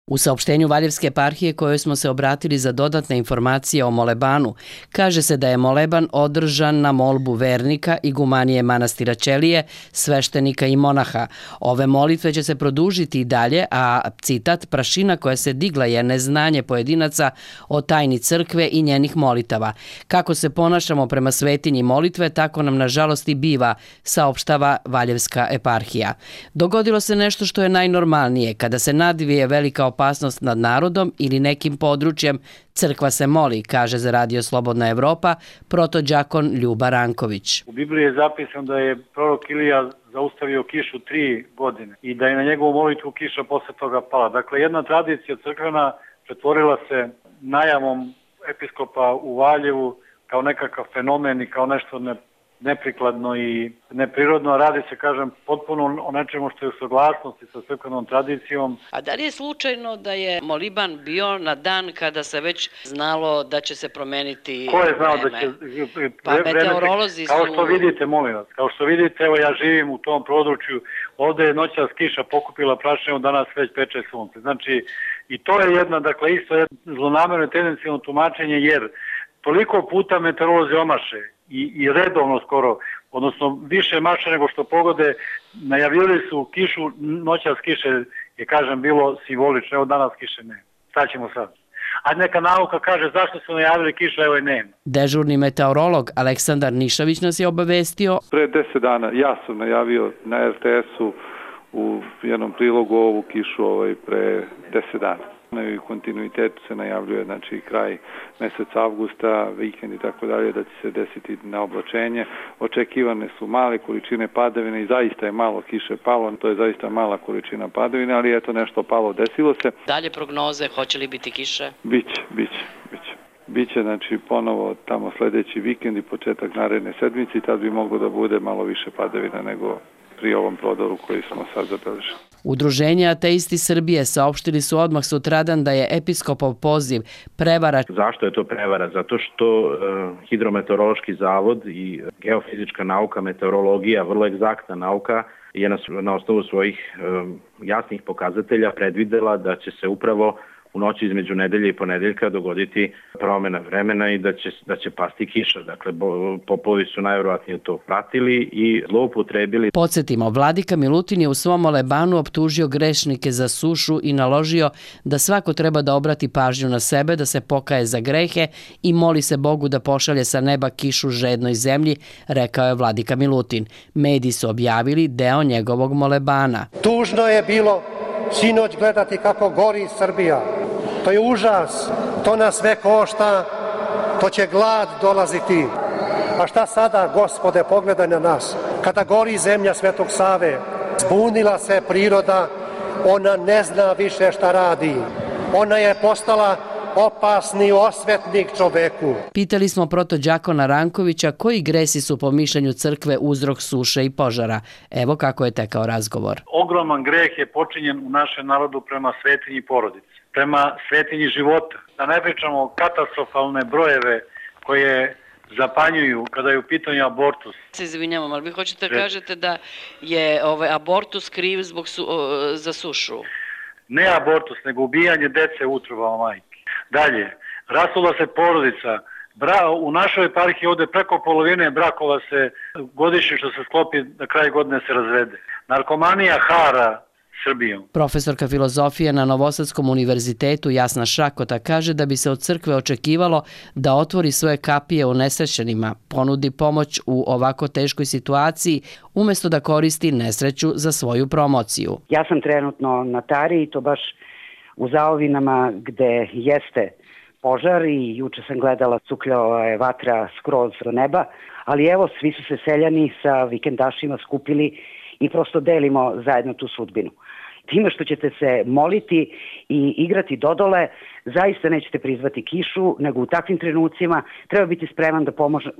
U saopštenju Valjevske eparhije kojoj smo se obratili za dodatne informacije o molebanu, kaže se da je moleban održan na molbu vernika igumanije manastira Ćelije, sveštenika i monaha. Ove molitve će se produžiti i dalje, a citat, prašina koja se digla je neznanje pojedinaca o tajni crkve i njenih molitava. Kako se ponašamo prema svetinji molitve, tako nam nažalost i biva, saopštava Valjevska eparhija. Dogodilo se nešto što je najnormalnije, kada se nadvije velika opasnost nad narodom ili nekim područjem, crkva se moli, kaže za Radio Slobodna Evropa protođakon Ljuba Ranković. U Bibliji je zapisano da je prorok Ilija zaustavio kišu 3 godine i da je na njegovu molitvu kiša posle toga pala. Dakle, jedna tradicija crkvena pretvorila se najavom episkopa u Valjevu kao nekakav fenomen i kao nešto neprikladno i neprirodno. Radi se, kažem, potpuno o nečemu što je u saglasnosti sa crkvenom tradicijom. A da li je slučajno da je moliban bio na dan kada se već znalo da će se promeniti vreme? Ko je znao da će pa meteorolozi su... Kao što vidite, molim vas, kao što vidite, evo ja živim u tom području, ovde je noćas kiša pokupila prašinu, danas već peče sunce. Znači, i to je jedna, dakle, isto jedno zlonamerno i tendencijno tumačenje, jer toliko puta meteorolozi omaše i redovno skoro, odnosno više maše nego što pogode, najavili su kišu, noćas kiše je, kažem, bilo simbolično, evo danas kiše ne. Šta ćemo sad? A neka nauka kaže zašto su najavili kišu, evo i nema. Dežurni meteorolog Aleksandar Nišavić nas je obavestio. Pre 10 dana ja sam najavio na RTS-u u jednom prilogu ovu kišu pre 10 dana. U kontinuitetu se najavljuje, znači kraj meseca avgusta, vikend i tako dalje, da će se desiti na oblačenje. Očekivane su male količine padavine i zaista je malo kiše palo, to je zaista mala količina padavine, ali eto nešto palo, desilo se. Dalje prognoze, hoće li biti kiše? Biće, znači, ponovo tamo sledeći vikend i početak naredne sedmice i tad bi moglo da bude malo više padavina nego pri ovom prodoru koji smo sad zabeležili. Udruženje Ateisti Srbije saopštili su odmah sutradan da je episkopov poziv prevara. Zašto je to prevara? Zato što Hidrometeorološki zavod i geofizička nauka, meteorologija, vrlo egzaktna nauka, je na osnovu svojih jasnih pokazatelja predvidela da će se upravo u noći između nedelje i ponedeljka dogoditi promena vremena i da će pasti kiša. Dakle, popovi su najverovatnije to pratili i zloupotrebili. Podsjetimo, vladika Milutin je u svom molebanu optužio grešnike za sušu i naložio da svako treba da obrati pažnju na sebe, da se pokaje za grehe i moli se Bogu da pošalje sa neba kišu žednoj zemlji, rekao je vladika Milutin. Mediji su objavili deo njegovog molebana. Tužno je bilo sinoć gledati kako gori Srbija. To je užas, to nas sve košta, to će glad dolaziti. A šta sada, Gospode, pogledaj na nas. Kada gori zemlja Svetog Save, zbunila se priroda, ona ne zna više šta radi. Ona je postala opasni osvetnik čoveku. Pitali smo protođakona Rankovića koji gresi su po mišljenju crkve uzrok suše i požara. Evo kako je tekao razgovor. Ogroman greh je počinjen u našem narodu prema svetinji porodice, prema svetinji života. Da ne pričamo katastrofalne brojeve koje zapanjuju kada je u pitanju abortus. Se izvinjavam, ali vi hoćete da kažete da je abortus kriv za sušu? Ne abortus, nego ubijanje dece u utrobama majke. Dalje, rasula se porodica. U našoj eparhiji ovde preko polovine brakova se godišnje što se sklopi na kraju godine se razvede. Narkomanija hara Srbijom. Profesorka filozofije na Novosadskom univerzitetu Jasna Šrakota kaže da bi se od crkve očekivalo da otvori svoje kapije unesrećenima, ponudi pomoć u ovako teškoj situaciji, umesto da koristi nesreću za svoju promociju. Ja sam trenutno na Tari i to baš u Zaovinama gde jeste požar i juče sam gledala cukljala je vatra skroz do neba, ali evo svi su se seljani sa vikendašima skupili i prosto delimo zajedno tu sudbinu. Time što ćete se moliti i igrati dodole, zaista nećete prizvati kišu, nego u takvim trenucima treba biti spreman da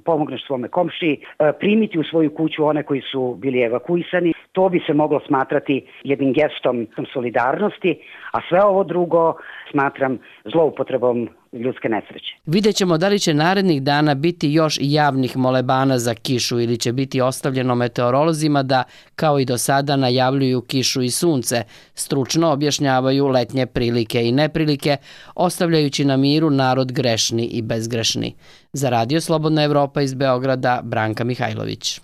pomogneš svome komšiji, primiti u svoju kuću one koji su bili evakuisani. To bi se moglo smatrati jednim gestom solidarnosti, a sve ovo drugo smatram zloupotrebom ljudske nesreće. Vidjet ćemo da li će narednih dana biti još javnih molebana za kišu ili će biti ostavljeno meteorolozima da, kao i do sada, najavljuju kišu i sunce, stručno objašnjavaju letnje prilike i neprilike, ostavljajući na miru narod grešni i bezgrešni. Za Radio Slobodna Evropa iz Beograda, Branka Mihajlović.